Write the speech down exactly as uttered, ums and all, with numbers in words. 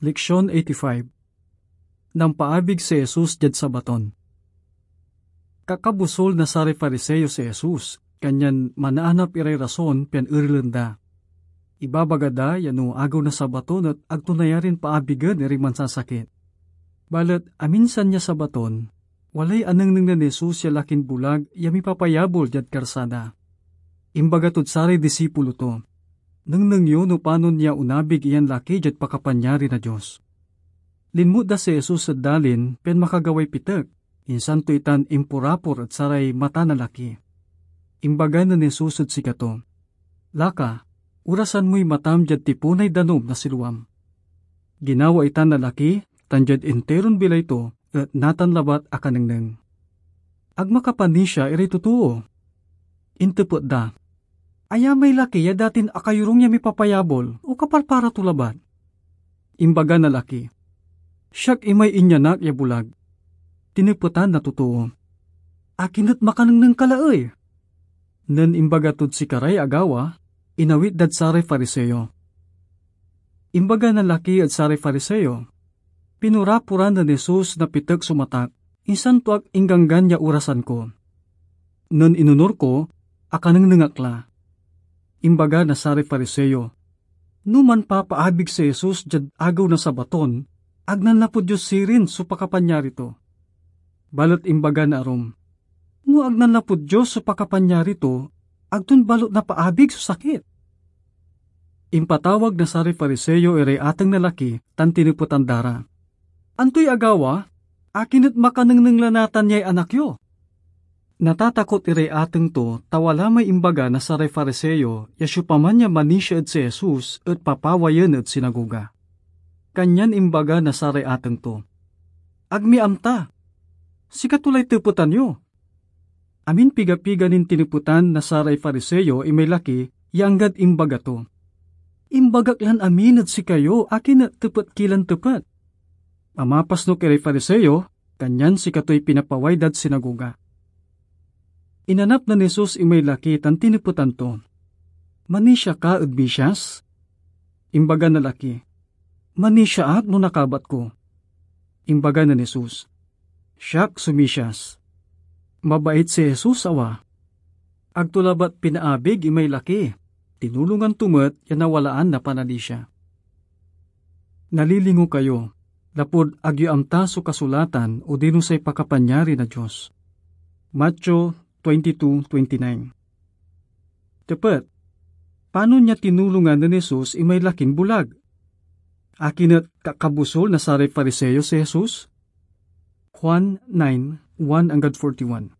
Leksion eighty-five. Nampaabig si Jesus diad Sabaton. Kakabusol na saray Fariseo si Jesus, kanyan manaanap iray rason pian erelen da. Ibabaga da ya no Agew na Sabaton et ag to nayarin paabigen iray mansasakit. Balet aminsan ya Sabaton, walay anengneng nen Jesus ya lakin bulag ya mipapayabol diad karsada. Imbaga tod saray disipulo to, "Nengneng yo no panon ya onabig iyan laki diad pakapanyari na Dios." Linmut da si Jesus ed dalin pian makagaway pitek, insan to itan imporapor ed saray mata na laki. Imbaga nen Jesus ed sikato, "Laka, orasan moy matam diad tipunay danum na Siloam." Ginawa itan na laki, tan diad interon bilay to et natan labat akanengneng. Ag makapanisia iray totoo. Intepet da, "Aya may laki ya datin akayorung ya mipapayabol, o kaparpara to labat?" Imbaga na laki, "Siak imay inyanak ya bulag." Tinepetan na totoo, "Akin et makanengneng ka la ey?" Nen imbaga tod sikaray agawa, inawit dad saray Fariseo. Imbaga na laki ed saray Fariseo, "Pinoraporan nen Jesus na pitek so matak, insan to ak ingganggan ya orasan ko. Nen inonur ko, akanengneng ak la." Imbaga na saray Fariseo, "No manpapaabig si Jesus diad Agew na Sabaton, ag nanlapud Dios sirin so pakapanyari to." Balet imbaga na arum, "No ag nanlapud Dios so pakapanyari to, ag ton balet napaabig so sakit." Impatawag na saray Fariseo iray ateng na laki tan tinepetan da ra, "Antoy agawa? Akin et makanengneng la natan yay anak yo?" Natatakot iray ateng to ta wala may imbaga na saray Fariseo ya siopaman ya manisia ed si Jesus et papawayen ed sinagoga. Kanyan imbaga na saray ateng to, "Ag mi amta. Sikato lay tepetan yo." Amin pigapiga nin tinepetan na saray Fariseo imay laki ya anggad imbaga to, "Imbagak lan amin ed sikayo akin et tepet ki lan tepet." Amapasnok iray Fariseo, kanyan sikatoy pinapaway dad sinagoga. Inanap nen Jesus imay laki tan tinepetan to, "Manisia ka ed misias?" Imbaga na laki, "Manisia ak no nakabat ko." Imbaga nen Jesus, "Siak so misias." Mabait si Jesus, awa. Ag to labat pinaabig imay laki, tinulongan to met ya nawalaan na pananisia. Nalilingo kayo, lapud ag yo amta so kasulatan odino say pakapanyari na Dios. Mateo twenty-two twenty-nine. Tepet, panon ya tinulongan nen Jesus imay lakin bulag? Akin et kakabusol na saray Fariseo si Jesus? Juan nine, one anggad forty-one.